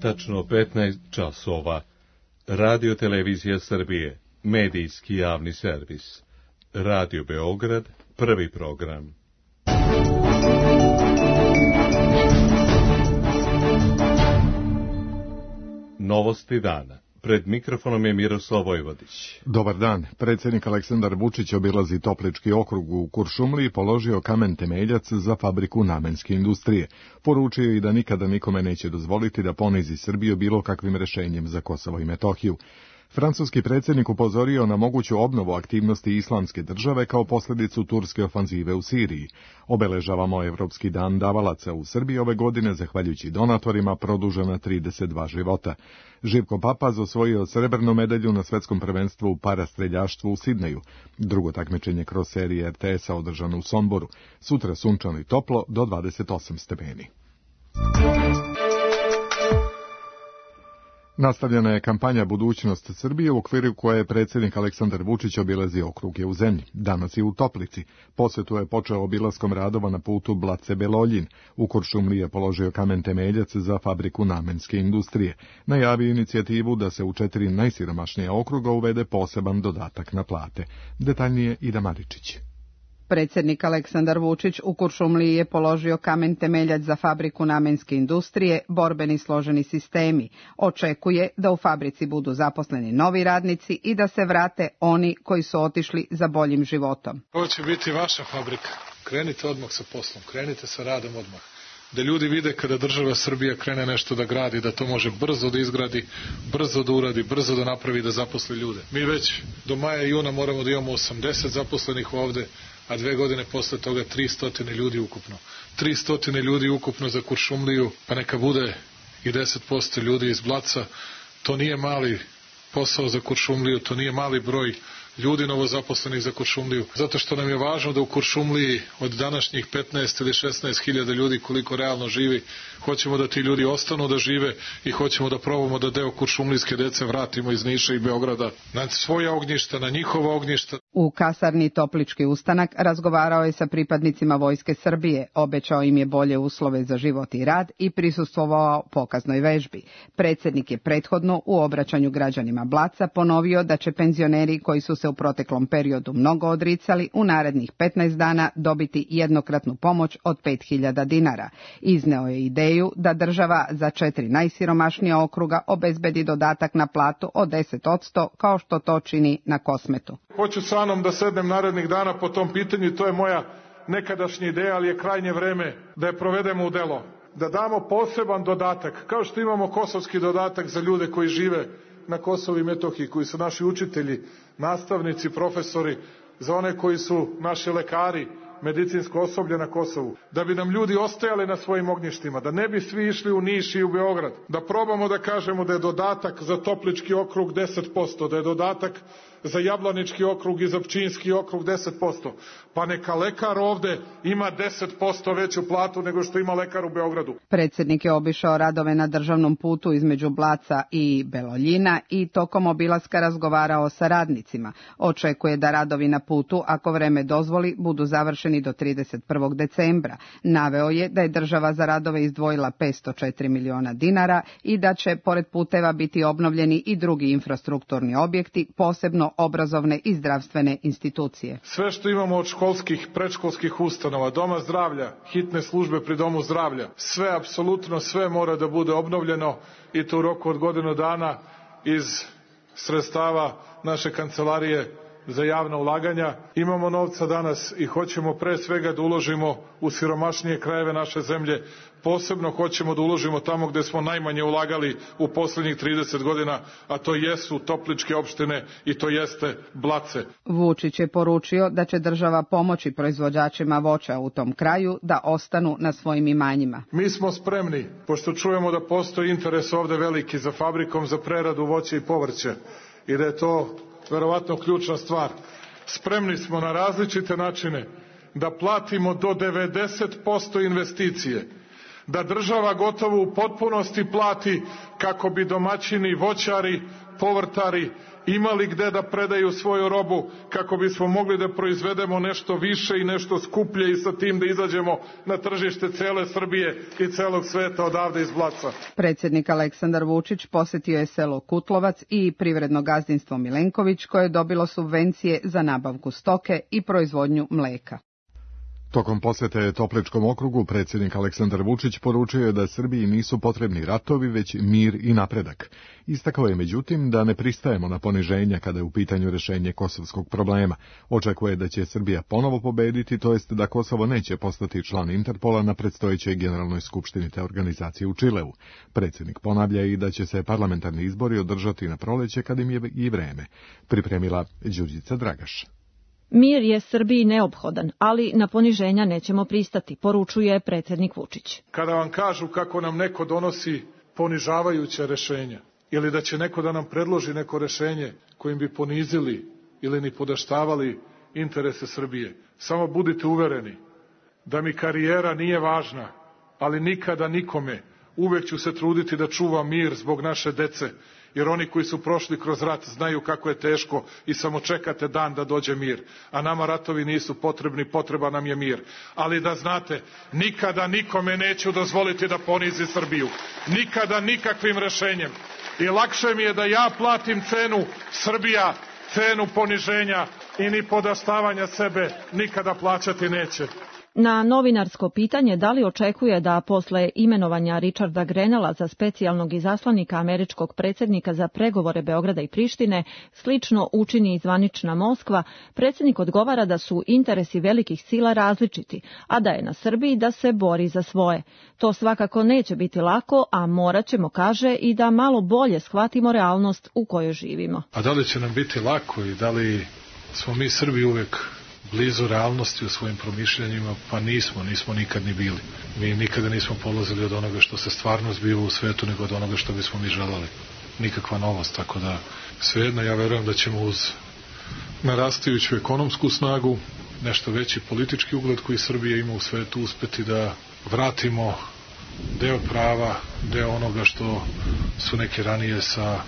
tačno 15 časova. Radio Televizija Srbije, medijski javni servis. Radio Beograd, prvi program. Novosti dana. Pred mikrofonom je Miroslav Vojvodić. Dobar dan. Predsjednik Aleksandar Vučić obilazi Toplički okrug u Kuršumliji i položio kamen temeljac za fabriku namenske industrije. Poručio i da nikada nikome neće dozvoliti da ponizi Srbiju bilo kakvim rešenjem za Kosovo i Metohiju. Francuski predsjednik upozorio na moguću obnovu aktivnosti Islamske države kao posljedicu turske ofanzive u Siriji. Obeležavamo Evropski dan davalaca u Srbiji ove godine, zahvaljujući donatorima, produžena 32 života. Živko Papaz osvojio srebrnu medalju na svetskom prvenstvu u parastreljaštvu u Sidneju. Drugo takmičenje kroz serije RTS-a održano u Somboru. Sutra sunčano i toplo do 28 stepeni. Nastavljena je kampanja Budućnost Srbije u okviru koje je predsjednik Aleksandar Vučić obilazio okruge u zemlji. Danas je u Toplici. Posjetu je počeo obilaskom radova na putu Blace-Beloljin. U Kuršumliji je položio kamen temeljac za fabriku namenske industrije. Najavio inicijativu da se u 4 najsiromašnija okruga uvede poseban dodatak na plate. Detaljnije Ida Maričić. Predsjednik Aleksandar Vučić u Kuršumliji je položio kamen temeljac za fabriku namenske industrije, borbeni složeni sistemi. Očekuje da u fabrici budu zaposleni novi radnici i da se vrate oni koji su otišli za boljim životom. Ovo će biti vaša fabrika. Krenite odmah sa poslom, krenite sa radom odmah. Da ljudi vide kada država Srbija krene nešto da gradi, da to može brzo da izgradi, brzo da uradi, brzo da napravi, da zaposli ljude. Mi već do maja i juna moramo da imamo 80 zaposlenih ovde, a 2 godine posle toga 300 ljudi ukupno. 300 ljudi ukupno za Kuršumliju, pa neka bude i 10% ljudi iz Blaca. To nije mali posao za Kuršumliju, to nije mali broj ljudi novozaposlenih za Kuršumliju, zato što nam je važno da u Kuršumliji od današnjih 15 ili 16 hiljada ljudi koliko realno živi, hoćemo da ti ljudi ostanu da žive i hoćemo da probamo da deo kuršumlijske dece vratimo iz Niša i Beograda na svoja ognjišta, na njihova ognjišta. U kasarni Toplički ustanak razgovarao je sa pripadnicima Vojske Srbije, obećao im je bolje uslove za život i rad i prisustvovao pokaznoj vežbi. Predsjednik je prethodno u obraćanju građanima Blaca ponovio da će penzioneri koji su se u proteklom periodu mnogo odricali u narednih 15 dana dobiti jednokratnu pomoć od 5.000 dinara. Izneo je ideju da država za 4 najsiromašnija okruga obezbedi dodatak na platu od 10% kao što to čini na Kosmetu. Hoću sa mnom da sednem narednih dana po tom pitanju i to je moja nekadašnja ideja, ali je krajnje vreme da je provedemo u delo. Da damo poseban dodatak, kao što imamo kosovski dodatak za ljude koji žive na Kosovu i Metohiji, koji su naši učitelji, nastavnici, profesori, za one koji su naši lekari, medicinsko osoblje na Kosovu, da bi nam ljudi ostajali na svojim ognjištima, da ne bi svi išli u Niš i u Beograd, da probamo da kažemo da je dodatak za Toplički okrug 10%, da je dodatak za Jablanički okrug i za Pčinjski okrug 10%, pa neka lekar ovde ima 10% veću platu nego što ima lekar u Beogradu. Predsjednik je obišao radove na državnom putu između Blaca i Beloljina i tokom obilaska razgovarao sa radnicima. Očekuje da radovi na putu, ako vreme dozvoli, budu završeni do 31. decembra. Naveo je da je država za radove izdvojila 504 miliona dinara i da će pored puteva biti obnovljeni i drugi infrastrukturni objekti, posebno obrazovne i zdravstvene institucije. Sve što imamo od školskih, predškolskih ustanova, doma zdravlja, hitne službe pri domu zdravlja, sve, apsolutno sve mora da bude obnovljeno i to u roku od godinu dana iz sredstava naše kancelarije za javna ulaganja. Imamo novca danas i hoćemo pre svega da uložimo u siromašnije krajeve naše zemlje. Posebno hoćemo da uložimo tamo gde smo najmanje ulagali u poslednjih 30 godina, a to jesu Topličke opštine i to jeste Blace. Vučić je poručio da će država pomoći proizvođačima voća u tom kraju da ostanu na svojim imanjima. Mi smo spremni, pošto čujemo da postoji interes ovde veliki za fabrikom za preradu voća i povrća i da je to verovatno ključna stvar. Spremni smo na različite načine da platimo do 90% investicije, da država gotovo u potpunosti plati kako bi domaćini, voćari povrtari imali gde da predaju svoju robu kako bismo mogli da proizvedemo nešto više i nešto skuplje i sa tim da izađemo na tržište cele Srbije i celog sveta odavde iz Blaca. Predsjednik Aleksandar Vučić posjetio je selo Kutlovac i privredno gazdinstvo Milenković koje je dobilo subvencije za nabavku stoke i proizvodnju mleka. Tokom posjete Topličkom okrugu predsjednik Aleksandar Vučić poručio je da Srbiji nisu potrebni ratovi, već mir i napredak. Istakao je međutim da ne pristajemo na poniženja kada je u pitanju rješenje kosovskog problema. Očekuje da će Srbija ponovo pobediti, to jest da Kosovo neće postati član Interpola na predstojećoj generalnoj skupštini te organizacije u Čileu. Predsjednik ponavlja i da će se parlamentarni izbori održati na proleće kad im je i vreme. Pripremila Đurđica Dragaš. Mir je Srbiji neophodan, ali na poniženja nećemo pristati, poručuje predsjednik Vučić. Kada vam kažu kako nam neko donosi ponižavajuća rešenja ili da će neko da nam predloži neko rešenje kojim bi ponizili ili ni podaštavali interese Srbije, samo budite uvereni da mi karijera nije važna, ali nikada nikome. Uvek ću se truditi da čuvam mir zbog naše dece, jer oni koji su prošli kroz rat znaju kako je teško i samo čekate dan da dođe mir. A nama ratovi nisu potrebni, potreban nam je mir. Ali da znate, nikada nikome neću dozvoliti da ponizi Srbiju. Nikada nikakvim rešenjem. I lakše mi je da ja platim cenu Srbija, cenu poniženja i ni podaštavanja sebe nikada plaćati neće. Na novinarsko pitanje da li očekuje da posle imenovanja Richarda Grenella za specijalnog izaslanika američkog predsjednika za pregovore Beograda i Prištine slično učini i zvanična Moskva, predsjednik odgovara da su interesi velikih sila različiti, a da je na Srbiji da se bori za svoje. To svakako neće biti lako, a morat ćemo, kaže, i da malo bolje shvatimo realnost u kojoj živimo. A da li će nam biti lako i da li smo mi Srbi uvek blizu realnosti u svojim promišljanjima? Pa nismo nikad ni bili. Mi nikada nismo polazili od onoga što se stvarno zbiva u svetu, nego od onoga što bismo mi želeli. Nikakva novost, tako da svejedno ja verujem da ćemo uz narastajuću ekonomsku snagu, nešto veći politički ugled koji Srbija ima u svetu, uspeti da vratimo deo prava, deo onoga što su neki ranije sa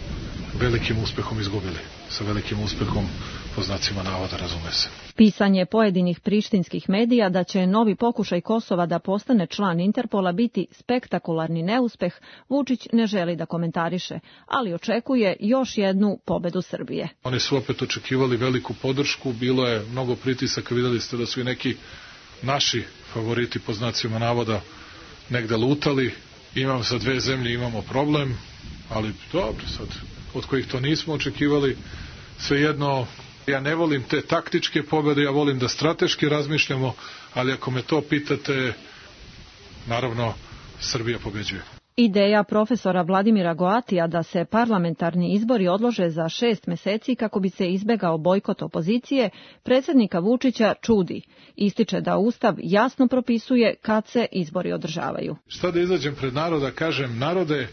velikim uspehom izgubili. Sa velikim uspehom, po znacima navoda, razume se. Pisanje pojedinih prištinskih medija da će novi pokušaj Kosova da postane član Interpola biti spektakularni neuspeh, Vučić ne želi da komentariše, ali očekuje još jednu pobedu Srbije. Oni su opet očekivali veliku podršku, bilo je mnogo pritisaka, videli ste da su i neki naši favoriti, po znacima navoda, negde lutali. Sa dve zemlje imamo problem, ali dobro, sad, od kojih to nismo očekivali, svejedno. Ja ne volim te taktičke pobjede, ja volim da strateški razmišljamo, ali ako me to pitate, naravno, Srbija pobeđuje. Ideja profesora Vladimira Goatija da se parlamentarni izbori odlože za 6 meseci kako bi se izbegao bojkot opozicije, predsjednika Vučića čudi. Ističe da Ustav jasno propisuje kad se izbori održavaju. Šta da izađem pred naroda, kažem, narode,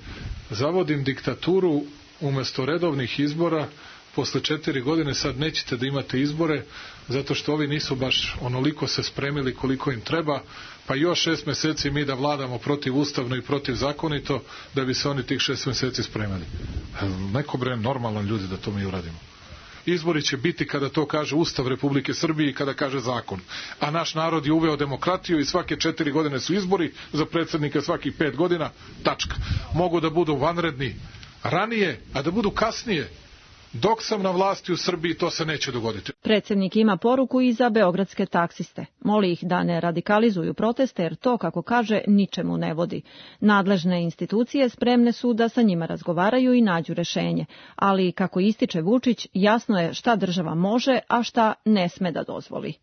zavodim diktaturu umjesto redovnih izbora. Posle 4 godine sad nećete da imate izbore, zato što ovi nisu baš onoliko se spremili koliko im treba, pa još 6 meseci mi da vladamo protivustavno i protivzakonito, da bi se oni tih 6 meseci spremili. Neko normalan ljudi da to mi uradimo. Izbori će biti kada to kaže Ustav Republike Srbije i kada kaže zakon. A naš narod je uveo demokratiju i svake 4 godine su izbori, za predsjednika svakih 5 godina, tačka. Mogu da budu vanredni ranije, a da budu kasnije. Dok sam na vlasti u Srbiji, to se neće dogoditi. Predsjednik ima poruku i za beogradske taksiste. Moli ih da ne radikalizuju proteste, jer to, kako kaže, ničemu ne vodi. Nadležne institucije spremne su da sa njima razgovaraju i nađu rešenje. Ali, kako ističe Vučić, jasno je šta država može, a šta ne sme da dozvoli.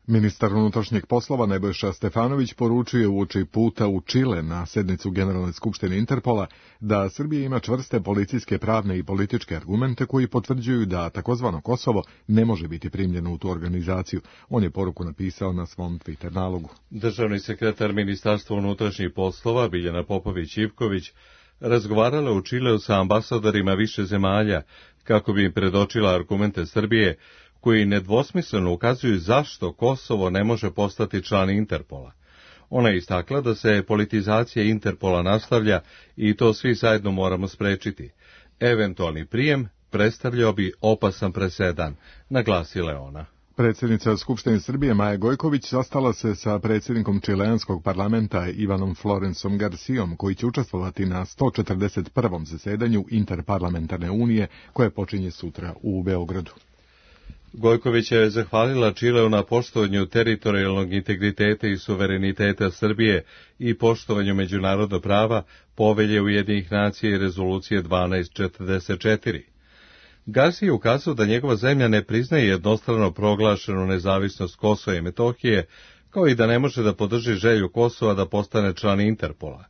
Ministar unutrašnjih poslova Nebojša Stefanović poručuje uoči puta u Čile na sednicu Generalne skupštine Interpola da Srbija ima čvrste policijske, pravne i političke argumente koji potvrđuju da takozvano Kosovo ne može biti primljeno u tu organizaciju. On je poruku napisao na svom Twitter nalogu. Državni sekretar Ministarstva unutrašnjih poslova Biljana Popović-Ivković razgovarala u Čileu sa ambasadorima više zemalja kako bi im predočila argumente Srbije koji nedvosmisleno ukazuju zašto Kosovo ne može postati član Interpola. Ona je istakla da se politizacija Interpola nastavlja i to svi zajedno moramo sprečiti. Eventualni prijem predstavljao bi opasan presedan, naglasila je ona. Predsjednica Skupštine Srbije Maja Gojković sastala se sa predsjednikom čileanskog parlamenta Ivanom Florencom Garcijom, koji će učestvovati na 141. zasedanju Interparlamentarne unije, koje počinje sutra u Beogradu. Gojković je zahvalila Čileu na poštovanju teritorijalnog integriteta i suvereniteta Srbije i poštovanju međunarodnog prava, Povelje Ujedinjenih nacija i rezolucije 1244. Garcia je ukazao da njegova zemlja ne priznaje jednostrano proglašenu nezavisnost Kosova i Metohije, kao i da ne može da podrži želju Kosova da postane član Interpola.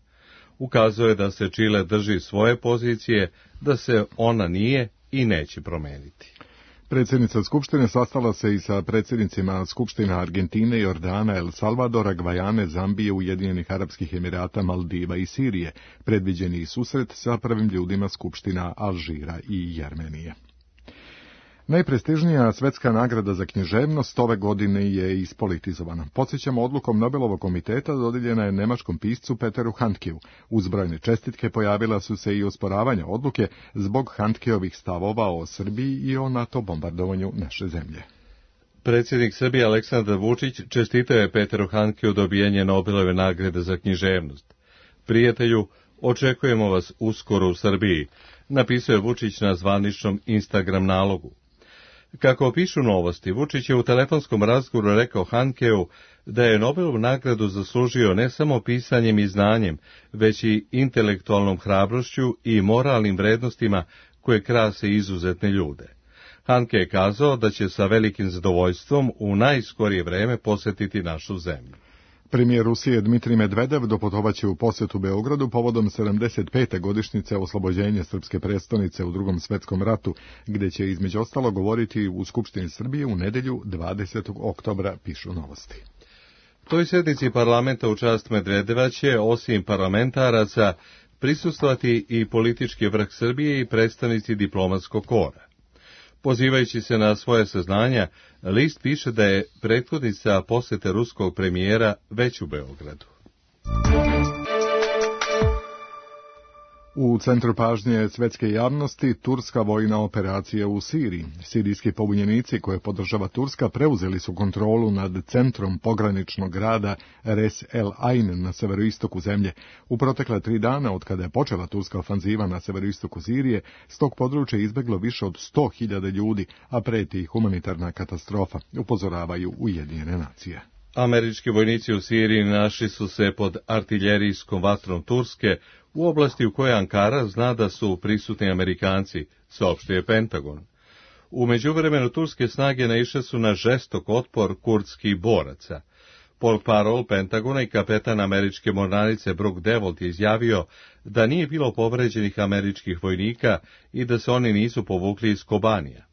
Ukazao je da se Čile drži svoje pozicije, da se ona nije i neće promeniti. Predsjednica Skupštine sastala se i sa predsjednicima Skupština Argentine, Jordana, El Salvadora, Gvajane, Zambije, Ujedinjenih Arapskih Emirata, Maldiva i Sirije. Predviđeni susret sa prvim ljudima Skupština Alžira i Jermenije. Najprestižnija svetska nagrada za književnost ove godine je ispolitizovana. Podsjećamo, odlukom Nobelovog komiteta dodijeljena je nemačkom piscu Peteru Handkeu. Uz brojne čestitke pojavila su se i osporavanja odluke zbog Handkeovih stavova o Srbiji i o NATO bombardovanju naše zemlje. Predsjednik Srbije Aleksandar Vučić čestitao je Peteru Handkeu dobijenje Nobelove nagrade za književnost. Prijatelju, očekujemo vas uskoro u Srbiji, napisao je Vučić na zvaničnom Instagram nalogu. Kako pišu novosti, Vučić je u telefonskom razgovoru rekao Handkeu da je Nobelovu nagradu zaslužio ne samo pisanjem i znanjem, već i intelektualnom hrabrošću i moralnim vrednostima koje krase izuzetne ljude. Handke je kazao da će sa velikim zadovoljstvom u najskorije vreme posjetiti našu zemlju. Premijer Rusije Dmitrij Medvedev doputovaće u posjetu Beogradu povodom 75. godišnjice oslobođenja srpske prestonice u Drugom svetskom ratu, gdje će između ostalo govoriti u Skupštini Srbije u nedjelju 20. oktobra, pišu novosti. Toj sjednici parlamenta u čast Medvedeva će, osim parlamentaraca, prisustvovati i politički vrh Srbije i predstavnici diplomatskog kora. Pozivajući se na svoje saznanja, list piše da je prethodnica posjete ruskog premijera već u Beogradu. U centru pažnje svetske javnosti turska vojna operacija u Siriji. Sirijski pobunjenici koje podržava Turska preuzeli su kontrolu nad centrom pograničnog grada Res El Ain na severoistoku zemlje. U protekle 3 dana od kada je počela turska ofanziva na severoistoku Sirije, s tog područja izbeglo više od 100.000 ljudi, a preti humanitarna katastrofa, upozoravaju Ujedinjene nacije. Američki vojnici u Siriji našli su se pod artiljerijskom vatrom Turske u oblasti u kojoj Ankara zna da su prisutni Amerikanci, saopštio je Pentagon. U međuvremenu turske snage naišle su na žestok otpor kurdskih boraca. Portparol Pentagona i kapetan američke mornarice Brook Devolt je izjavio da nije bilo povređenih američkih vojnika i da se oni nisu povukli iz Kobanija.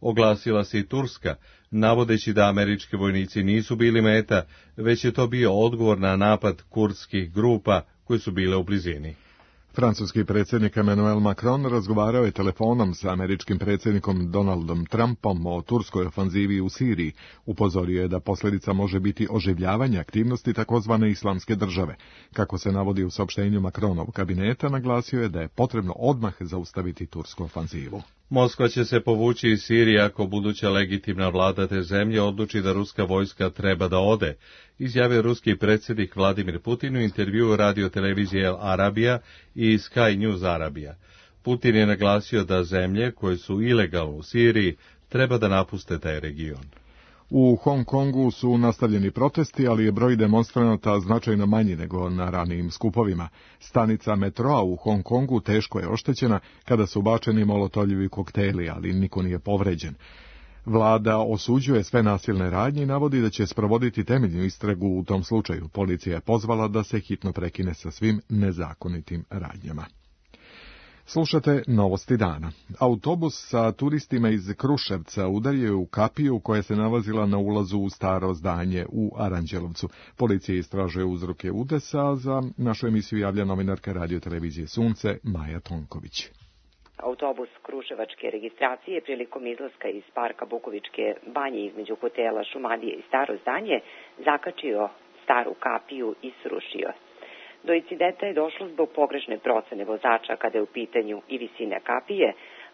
Oglasila se i Turska, navodeći da američki vojnici nisu bili meta, već je to bio odgovor na napad kurdskih grupa koji su bile u blizini. Francuski predsjednik Emmanuel Macron razgovarao je telefonom sa američkim predsjednikom Donaldom Trumpom o turskoj ofanzivi u Siriji. Upozorio je da posljedica može biti oživljavanje aktivnosti takozvane islamske države. Kako se navodi u saopštenju Macronovog kabineta, naglasio je da je potrebno odmah zaustaviti tursku ofanzivu. Moskva će se povući iz Sirije ako buduća legitimna vlada te zemlje odluči da ruska vojska treba da ode, izjavio ruski predsjednik Vladimir Putin u intervjuu radiotelevizije El Arabija i Sky News Arabija. Putin je naglasio da zemlje koje su ilegalno u Siriji treba da napuste taj region. U Hong Kongu su nastavljeni protesti, ali je broj demonstranata značajno manji nego na ranijim skupovima. Stanica metroa u Hong Kongu teško je oštećena kada su bačeni molotovljevi kokteli, ali niko nije povređen. Vlada osuđuje sve nasilne radnje i navodi da će sprovoditi temeljnu istragu u tom slučaju. Policija je pozvala da se hitno prekine sa svim nezakonitim radnjama. Slušate novosti dana. Autobus sa turistima iz Kruševca udario je u kapiju koja se nalazila na ulazu u staro zdanje u Aranđelovcu. Policija istražuje uzroke udesa, za našu emisiju javlja novinarka radiotelevizije Sunce Maja Tonković. Autobus kruševačke registracije prilikom izlaska iz parka Bukovičke banje između hotela Šumadije i staro zdanje zakačio staru kapiju i srušio. Do incidenta je došlo zbog pogrešne procene vozača kada je u pitanju i visina kapije,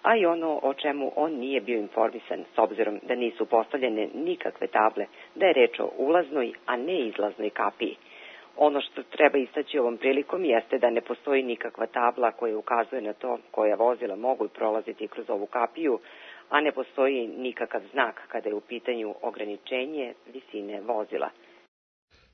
a i ono o čemu on nije bio informisan, s obzirom da nisu postavljene nikakve table, da je reč o ulaznoj, a ne izlaznoj kapiji. Ono što treba istaći ovom prilikom jeste da ne postoji nikakva tabla koja ukazuje na to koja vozila mogu prolaziti kroz ovu kapiju, a ne postoji nikakav znak kada je u pitanju ograničenje visine vozila.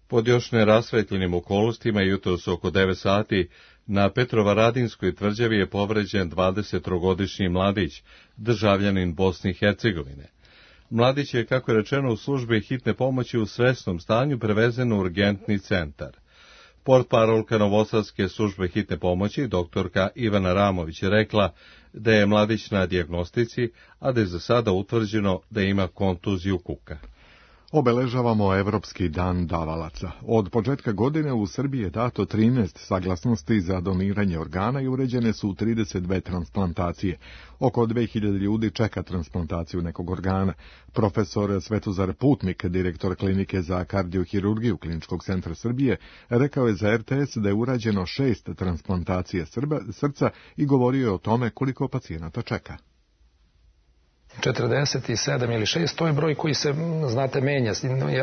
Pod još nerasvetljenim okolnostima jutros oko 9 sati na Petrovaradinskoj tvrđavi je povređen 23-godišnji mladić, državljanin Bosne i Hercegovine. Mladić je, kako je rečeno, u službi hitne pomoći u svesnom stanju prevezen u urgentni centar. Portparolka Novosadske službe hitne pomoći, doktorka Ivana Ramović, je rekla da je mladić na dijagnostici, a da je za sada utvrđeno da ima kontuziju kuka. Obeležavamo Evropski dan davalaca. Od početka godine u Srbiji je dato 13 saglasnosti za doniranje organa i uređene su 32 transplantacije. Oko 2000 ljudi čeka transplantaciju nekog organa. Profesor Svetozar Putnik, direktor klinike za kardiohirurgiju Kliničkog centra Srbije, rekao je za RTS da je urađeno 6 transplantacija srca i govorio je o tome koliko pacijenata čeka. 47 ili 6, to je broj koji se, znate, menja.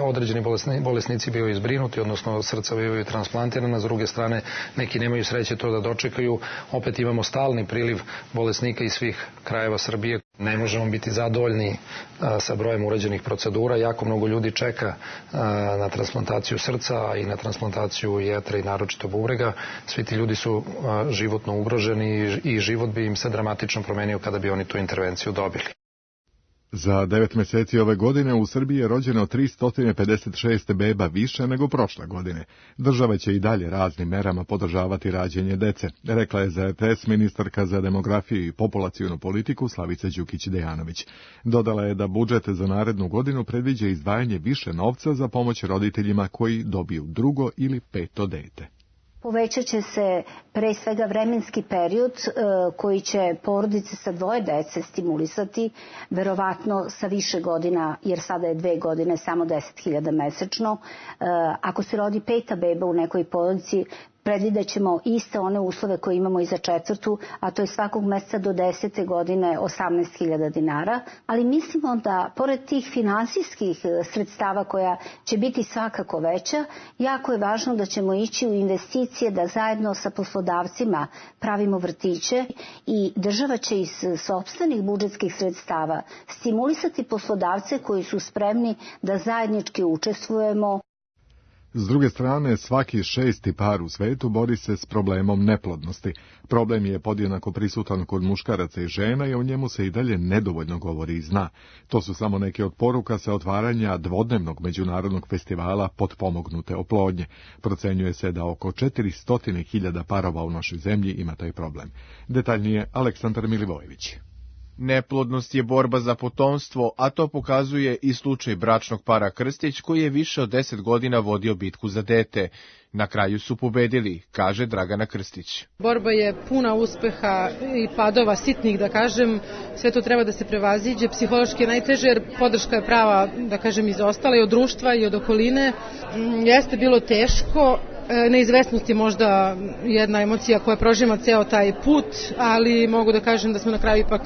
Određeni bolesnici bivaju izbrinuti, odnosno srca bivaju transplantirana, s druge strane neki nemaju sreće to da dočekaju. Opet imamo stalni priliv bolesnika iz svih krajeva Srbije. Ne možemo biti zadovoljni sa brojem urađenih procedura. Jako mnogo ljudi čeka na transplantaciju srca i na transplantaciju jetre i naročito bubrega. Svi ti ljudi su životno ugroženi i život bi im se dramatično promenio kada bi oni tu intervenciju dobili. Za 9 meseci ove godine u Srbiji je rođeno 356 beba više nego prošle godine. Država će i dalje raznim merama podržavati rađenje dece, rekla je za RTS ministarka za demografiju i populacionu politiku Slavica Đukić-Dejanović. Dodala je da budžet za narednu godinu predviđa izdvajanje više novca za pomoć roditeljima koji dobiju drugo ili peto dete. Povećat će se pre svega vremenski period koji će porodice sa 2 dece stimulisati, verovatno sa više godina, jer sada je 2 godine samo 10.000 mesečno. Ako se rodi 5. beba u nekoj porodici, predvidjet ćemo iste one uslove koje imamo i za 4., a to je svakog meseca do 10. godine 18.000 dinara, ali mislimo da pored tih finansijskih sredstava koja će biti svakako veća, jako je važno da ćemo ići u investicije da zajedno sa poslodavcima pravimo vrtiće i država će iz sopstvenih budžetskih sredstava stimulisati poslodavce koji su spremni da zajednički učestvujemo. S druge strane, svaki 6. par u svetu bori se s problemom neplodnosti. Problem je podjednako prisutan kod muškaraca i žena i o njemu se i dalje nedovoljno govori i zna. To su samo neke od poruka sa otvaranja dvodnevnog međunarodnog festivala potpomognute oplodnje. Procenjuje se da oko 400.000 parova u našoj zemlji ima taj problem. Detaljnije Aleksandar Milivojević. Neplodnost je borba za potomstvo, a to pokazuje i slučaj bračnog para Krstić koji je više od 10 godina vodio bitku za dete. Na kraju su pobedili, kaže Dragana Krstić. Borba je puna uspeha i padova sitnih, da kažem. Sve to treba da se prevaziđe. Psihološki je najteže jer podrška je prava, da kažem, izostala i od društva i od okoline. Jeste bilo teško. Neizvesnost je možda jedna emocija koja prožima ceo taj put, ali mogu da kažem da smo na kraju ipak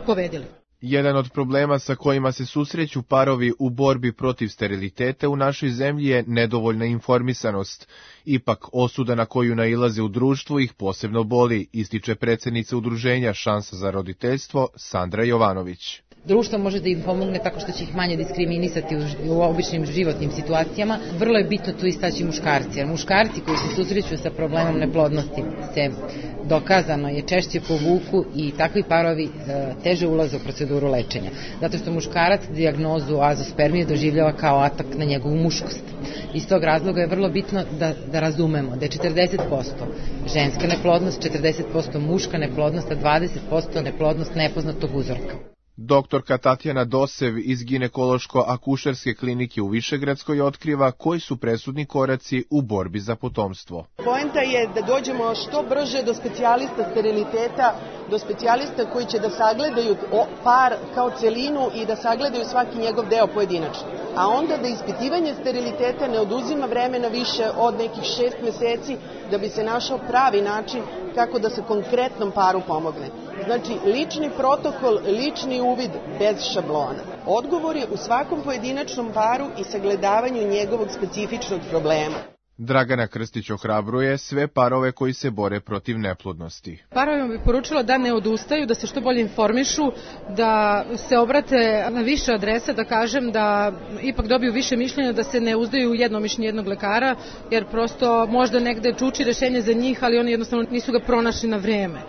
pobedili. Jedan od problema sa kojima se susreću parovi u borbi protiv steriliteta u našoj zemlji je nedovoljna informisanost. Ipak osuda na koju nailaze u društvu ih posebno boli, ističe predsednica udruženja Šansa za roditeljstvo Sandra Jovanović. Društvo može da im pomogne tako što će ih manje diskriminisati u običnim životnim situacijama. Vrlo je bitno tu istaći muškarci, jer muškarci koji se susreću sa problemom neplodnosti se dokazano je češće povuku i takvi parovi teže ulaze u proceduru lečenja. Zato što muškarac dijagnozu azospermije doživljava kao atak na njegovu muškost. Iz tog razloga je vrlo bitno da razumemo da je 40% ženska neplodnost, 40% muška neplodnost, a 20% neplodnost nepoznatog uzorka. Doktorka Tatjana Dosev iz ginekološko-akušerske klinike u Višegradskoj otkriva koji su presudni koraci u borbi za potomstvo. Poenta je da dođemo što brže do specijalista steriliteta, do specijalista koji će da sagledaju par kao celinu i da sagledaju svaki njegov deo pojedinačno. A onda da ispitivanje steriliteta ne oduzima vremena više od nekih 6 meseci da bi se našao pravi način kako da se konkretnom paru pomogne. Znači, lični protokol, lični uvid bez šablona. Odgovor je u svakom pojedinačnom paru i sagledavanju njegovog specifičnog problema. Dragana Krstić ohrabruje sve parove koji se bore protiv neplodnosti. Parovima bih poručila da ne odustaju, da se što bolje informišu, da se obrate na više adresa, da kažem da ipak dobiju više mišljenja, da se ne uzdaju jedno mišljenje jednog lekara, jer prosto možda negde čuči rešenje za njih, ali oni jednostavno nisu ga pronašli na vreme.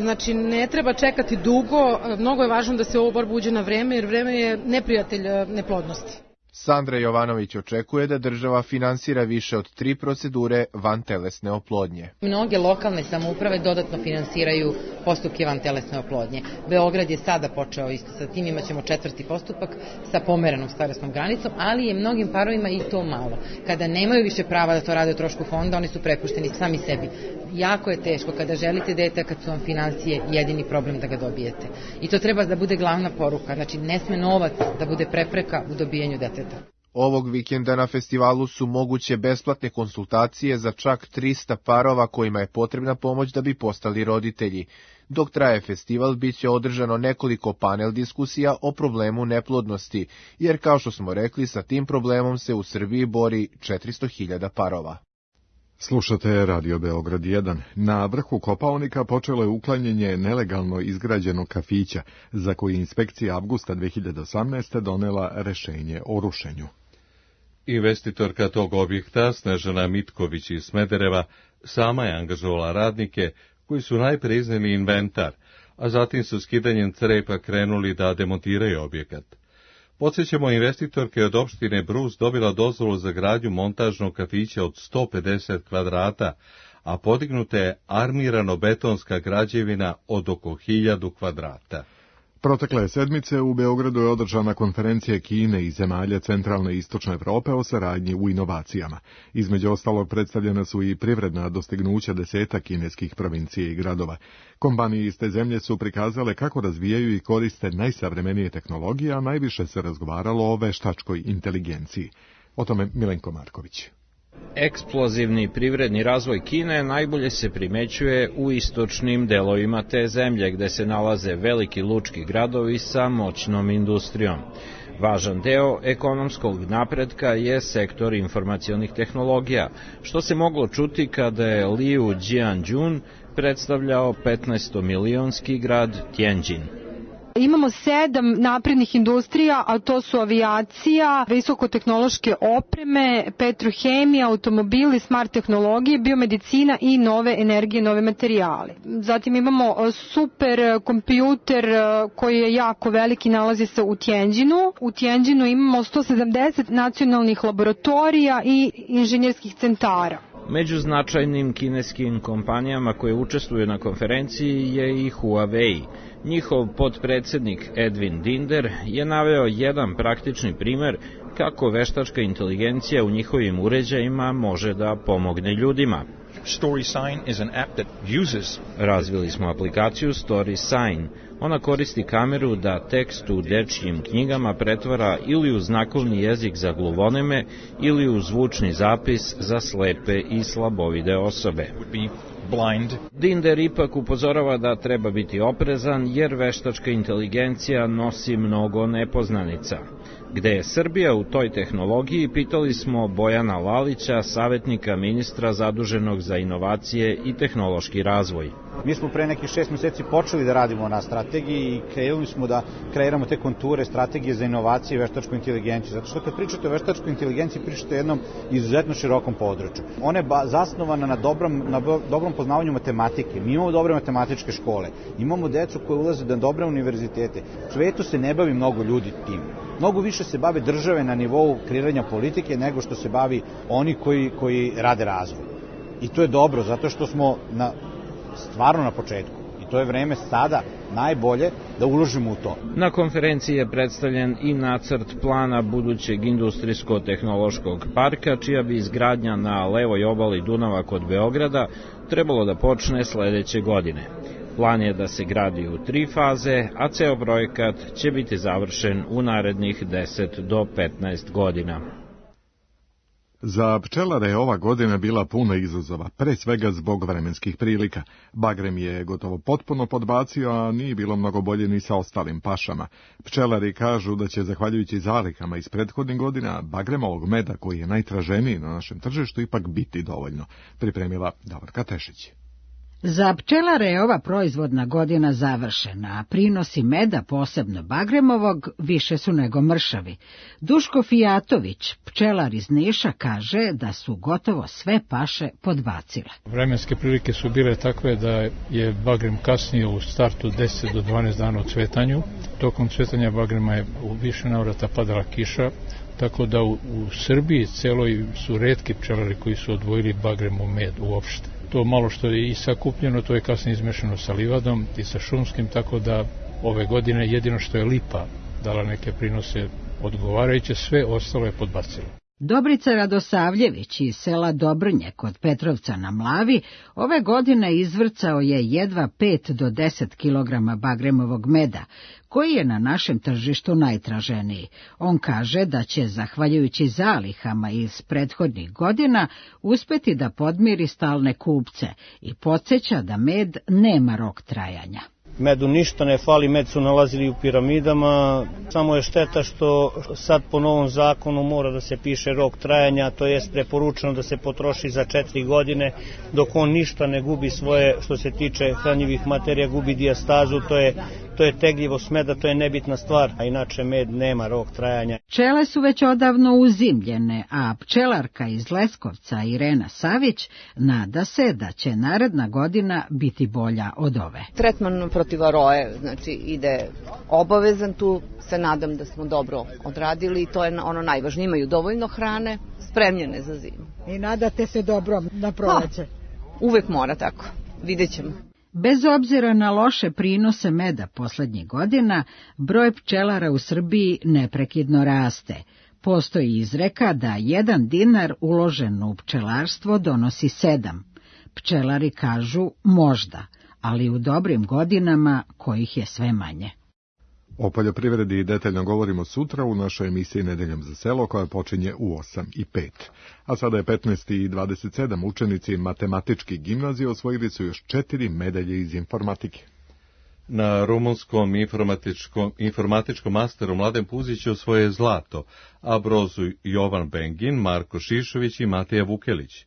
Znači, ne treba čekati dugo, mnogo je važno da se u ovu borbu uđe na vreme, jer vreme je neprijatelj neplodnosti. Sandra Jovanović očekuje da država finansira više od 3 procedure vantelesne oplodnje. Mnoge lokalne samouprave dodatno finansiraju postupke vantelesne oplodnje. Beograd je sada počeo isto sa tim, imaćemo 4. postupak sa pomerenom starosnom granicom, ali je mnogim parovima i to malo. Kada nemaju više prava da to rade o trošku fonda, oni su prepušteni sami sebi. Jako je teško kada želite dete, kad su vam financije jedini problem da ga dobijete. I to treba da bude glavna poruka. Znači, ne sme novac da bude prepreka u dobijanju deteta. Ovog vikenda na festivalu su moguće besplatne konsultacije za čak 300 parova kojima je potrebna pomoć da bi postali roditelji. Dok traje festival, bit će održano nekoliko panel diskusija o problemu neplodnosti, jer kao što smo rekli, sa tim problemom se u Srbiji bori 400.000 parova. Slušate Radio Beograd 1. Na vrhu Kopaonika počelo je uklanjanje nelegalno izgrađenog kafića, za koji inspekcija avgusta 2018. donela rešenje o rušenju. Investitorka tog objekta, Snežana Mitković iz Smedereva, sama je angažovala radnike koji su najpre izneli inventar, a zatim su skidanjem crepa krenuli da demontiraju objekat. Podsjećamo, investitorka je od opštine Brus dobila dozvolu za gradnju montažnog kafića od 150 kvadrata, a podignuta je armirano-betonska građevina od oko 1000 kvadrata. Protekle sedmice u Beogradu je održana konferencija Kine i zemalja centralne i istočne Evrope o saradnji u inovacijama. Između ostalog predstavljena su i privredna dostignuća 10 kineskih provincija i gradova. Kompanije iz te zemlje su prikazale kako razvijaju i koriste najsavremenije tehnologije, a najviše se razgovaralo o veštačkoj inteligenciji. O tome Milenko Marković. Eksplozivni privredni razvoj Kine najbolje se primećuje u istočnim delovima te zemlje, gde se nalaze veliki lučki gradovi sa moćnom industrijom. Važan deo ekonomskog napretka je sektor informacionih tehnologija, što se moglo čuti kada je Liu Jianjun predstavljao 15-milionski grad Tianjin. Imamo 7 naprednih industrija, a to su avijacija, visokotehnološke opreme, petrohemija, automobili, smart tehnologije, biomedicina i nove energije, nove materijale. Zatim imamo super kompjuter koji je jako veliki, nalazi se u Tianjinu. U Tianjinu imamo 170 nacionalnih laboratorija i inženjerskih centara. Među značajnim kineskim kompanijama koje učestvuju na konferenciji je i Huawei. Njihov potpredsednik Edwin Dinder je naveo jedan praktični primer kako veštačka inteligencija u njihovim uređajima može da pomogne ljudima. StorySign is an app that uses... Razvili smo aplikaciju StorySign. Ona koristi kameru da tekst u dečjim knjigama pretvara ili u znakovni jezik za gluvoneme ili u zvučni zapis za slepe i slabovide osobe. Dinder ipak upozorava da treba biti oprezan jer veštačka inteligencija nosi mnogo nepoznanica. Gde je Srbija u toj tehnologiji, pitali smo Bojana Lalića, savjetnika ministra zaduženog za inovacije i tehnološki razvoj. Mi smo pre nekih 6 meseci počeli da radimo na strategiji i krenuli smo da kreiramo te konture strategije za inovacije i veštačku inteligenciju. Zato što kad pričate o veštačkoj inteligenciji, pričate o jednom izuzetno širokom području. Ona je zasnovana na dobrom poznavanju matematike. Mi imamo dobre matematičke škole, imamo decu koje ulaze na dobre univerzitete. U svetu se ne bavi mnogo ljudi tim. Mnogo više se bave države na nivou kreiranja politike nego što se bavi oni koji rade razvoj. I to je dobro, zato što smo stvarno na početku. I to je vreme sada najbolje da uložimo u to. Na konferenciji je predstavljen i nacrt plana budućeg industrijsko-tehnološkog parka, čija bi izgradnja na levoj obali Dunava kod Beograda trebalo da počne sledeće godine. Plan je da se gradi u 3 faze, a ceo projekat će biti završen u narednih 10 do 15 godina. Za pčelare je ova godina bila puna izazova, pre svega zbog vremenskih prilika. Bagrem je gotovo potpuno podbacio, a nije bilo mnogo bolje ni sa ostalim pašama. Pčelari kažu da će, zahvaljujući zalihama iz prethodnih godina, bagremovog meda, koji je najtraženiji na našem tržištu, ipak biti dovoljno. Pripremila Davorka Tešić. Za pčelare je ova proizvodna godina završena, a prinosi meda, posebno bagremovog, više su nego mršavi. Duško Fijatović, pčelar iz Niša, kaže da su gotovo sve paše podbacile. Vremenske prilike su bile takve da je bagrem kasnio u startu 10 do 12 dana u cvetanju. Tokom cvetanja bagrema je u više navrata padala kiša, tako da u Srbiji celoj su retki pčelari koji su odvojili bagremov med uopšte. To malo što je i sakupljeno, to je kasnije izmešano sa livadom i sa šumskim, tako da ove godine jedino što je lipa dala neke prinose odgovarajuće, sve ostalo je podbacilo. Dobrica Radosavljević iz sela Dobrnje kod Petrovca na Mlavi ove godine izvrcao je jedva 5 do 10 kg bagremovog meda, koji je na našem tržištu najtraženiji. On kaže da će, zahvaljujući zalihama iz prethodnih godina, uspeti da podmiri stalne kupce i podsjeća da med nema rok trajanja. Medu ništa ne fali, med su nalazili u piramidama, samo je šteta što sad po novom zakonu mora da se piše rok trajanja, to jest preporučeno da se potroši za 4 godine, dok on ništa ne gubi svoje, što se tiče hranjivih materija, gubi dijastazu, to je tegljivost meda, to je nebitna stvar, a inače med nema rok trajanja. Pčele su već odavno uzimljene, a pčelarka iz Leskovca Irena Savić nada se da će naredna godina biti bolja od ove. Tretman protiv varoje, znači ide obavezan, tu se nadam da smo dobro odradili i to je ono najvažnije, imaju dovoljno hrane, spremljene za zimu. I nadate se dobro na proleće? Uvek mora tako, vidjet ćemo. Bez obzira na loše prinose meda poslednjih godina, broj pčelara u Srbiji neprekidno raste. Postoji izreka da 1 dinar uložen u pčelarstvo donosi 7. Pčelari kažu možda, ali u dobrim godinama kojih je sve manje. O poljoprivredi detaljno govorimo sutra u našoj emisiji Nedeljom za selo, koja počinje u 8:05. A sada je 15:27. Učenici matematičkih gimnazije osvojili su još 4 medalje iz informatike. Na rumunskom informatičkom masteru Mladen Puzić osvoje zlato, a brozu Jovan Bengin, Marko Šišović i Matija Vukelić.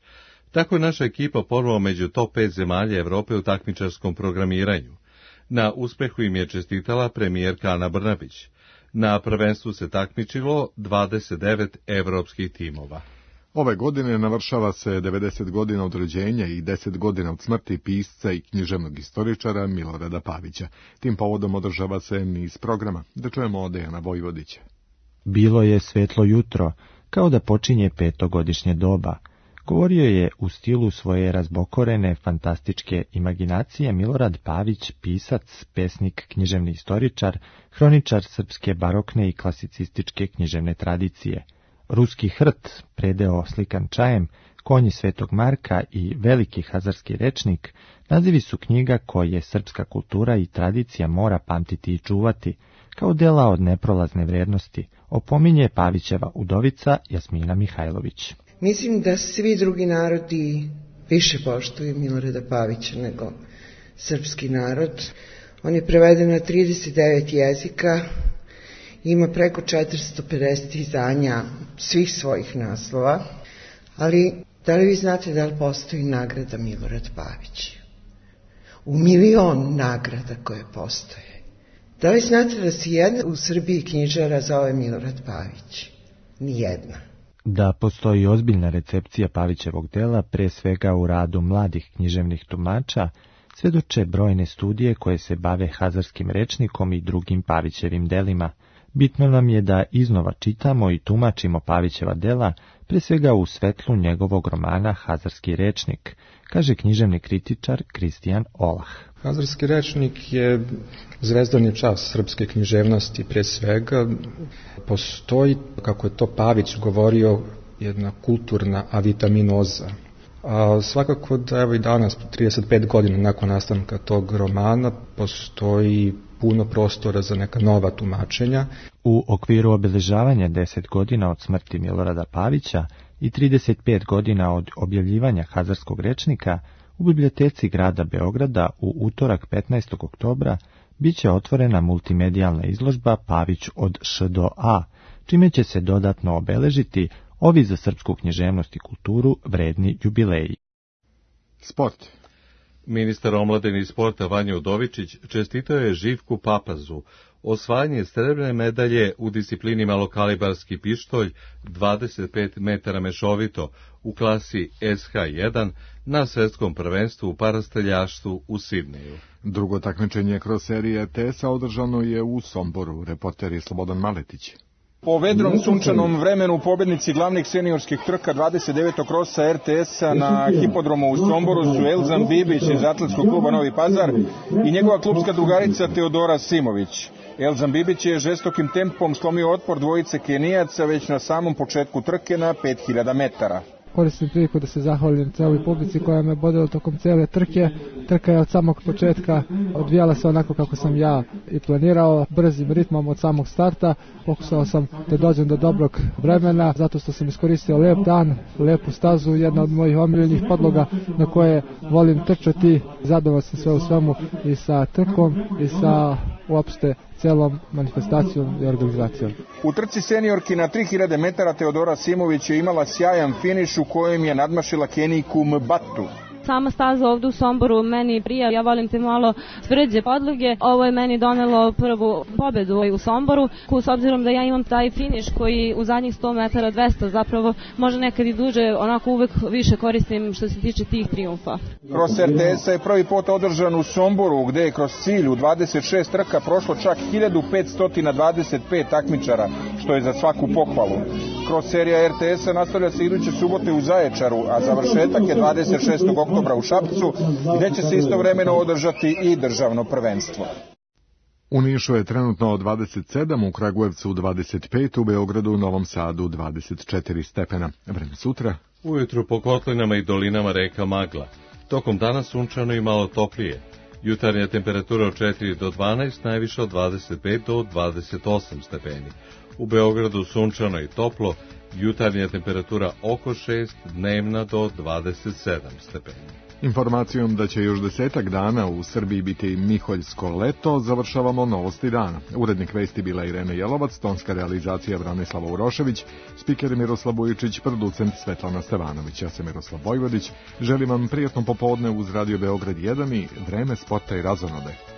Tako je naša ekipa ponovo među top 5 zemalja Evrope u takmičarskom programiranju. Na uspehu im je čestitala premijerka Ana Brnabić. Na prvenstvu se takmičilo 29 evropskih timova. Ove godine navršava se 90 godina od rođenja i 10 godina od smrti pisca i književnog istoričara Milorada Pavića. Tim povodom održava se niz programa. Da čujemo od Dejana Vojvodića. Bilo je svetlo jutro, kao da počinje 5-godišnje doba. Govorio je u stilu svoje razbokorene, fantastičke imaginacije Milorad Pavić, pisac, pesnik, književni istoričar, hroničar srpske barokne i klasicističke književne tradicije. Ruski hrt, predeo slikan čajem, Konji Svetog Marka i Veliki hazarski rečnik, nazivi su knjiga koje srpska kultura i tradicija mora pamtiti i čuvati, kao dela od neprolazne vrednosti, opominje Pavićeva udovica Jasmina Mihajlović. Mislim da svi drugi narodi više poštuju Milorada Pavića nego srpski narod. On je preveden na 39 jezika, ima preko 450 izdanja svih svojih naslova, ali da li vi znate da li postoji nagrada Milorad Pavić? U 1.000.000 nagrada koje postoje. Da li znate da se jedna u Srbiji knjižara zove Milorad Pavić? Nijedna. Da postoji ozbiljna recepcija Pavićevog dela, pre svega u radu mladih književnih tumača, svedoče brojne studije koje se bave hazarskim rečnikom i drugim Pavićevim delima. Bitno nam je da iznova čitamo i tumačimo Pavićeva dela, pre svega u svetlu njegovog romana Hazarski rečnik, kaže književni kritičar Kristijan Olah. Hazarski rečnik je zvezdani čas srpske književnosti pre svega. Postoji, kako je to Pavić govorio, jedna kulturna avitaminoza. A svakako da evo i danas, 35 godina nakon nastanka tog romana, postoji puno prostora za neka nova tumačenja. U okviru obeležavanja 10 godina od smrti Milorada Pavića i 35 godina od objavljivanja Hazarskog rečnika, u biblioteci grada Beograda u utorak 15. oktobra biće otvorena multimedijalna izložba Pavić od Š do A, čime će se dodatno obeležiti ovi za srpsku književnost i kulturu vredni jubileji. Sport. Ministar omladine i sporta Vanja Udovičić čestitao je Živku Papazu osvajanje srebrne medalje u disciplini malokalibarski pištolj 25 metara mešovito u klasi SH1 na svetskom prvenstvu u parastreljaštvu u Sidneju. Drugo takmičenje kroz serije RTS-a održano je u Somboru, reporter je Slobodan Maletić. Po vedrom sunčanom vremenu pobednici glavnih seniorskih trka 29. krosa RTS-a na hipodromu u Somboru su Elzan Bibić iz Atletskog kluba Novi Pazar i njegova klubska drugarica Teodora Simović. Elzan Bibić je žestokim tempom slomio otpor dvojice Kenijaca već na samom početku trke na 5000 metara. Koristim priliku da se zahvalim celoj publici koja me bodila tokom cele trke. Trka je od samog početka odvijala se onako kako sam ja i planirao, brzim ritmom od samog starta. Pokušao sam da dođem do dobrog vremena, zato što sam iskoristio lep dan, lepu stazu, jedna od mojih omiljenih podloga na koje volim trčati. Zadovoljan sam sve u svemu i sa trkom i sa uopšte celom manifestacijom i organizacijom. U trci seniorki na 3000 metara Teodora Simović je imala sjajan finiš u kojem je nadmašila Kenijku Mbatu. Sama staza ovde u Somboru meni prija, ja volim te malo tvrđe podloge. Ovo je meni donelo prvu pobedu u Somboru, s obzirom da ja imam taj finiš koji u zadnjih 100 metara 200 zapravo može nekad i duže, onako uvek više koristim što se tiče tih trijumfa. Kroz RTS-a je prvi put održan u Somboru, gde je kroz cilj u 26 trka prošlo čak 1525 takmičara, što je za svaku pohvalu. Kroz serija RTS-a nastavlja se iduće subote u Zaječaru, a završetak je 26. oktobra u Šapcu, gde će se istovremeno održati i državno prvenstvo. U Nišu je trenutno 27, u Kragujevcu 25, u Beogradu, u Novom Sadu 24 stepena. Vreme sutra. Ujutru po kotlinama i dolinama reka magla. Tokom dana sunčano i malo toplije. Jutarnja temperatura od 4 do 12, najviše od 25 do 28 stepeni. U Beogradu sunčano i toplo, jutarnja temperatura oko 6, dnevna do 27 stepeni. Informacijom da će još 10 dana u Srbiji biti miholjsko leto, završavamo novosti dana. Urednik vesti bila Irena Jelovac, tonska realizacija Branislava Urošević, spiker Miroslav Bujičić, producent Svetlana Stevanović. Ja sam Miroslav Vojvodić. Želim vam prijatno popodne uz Radio Beograd 1 i vreme sporta i razonode.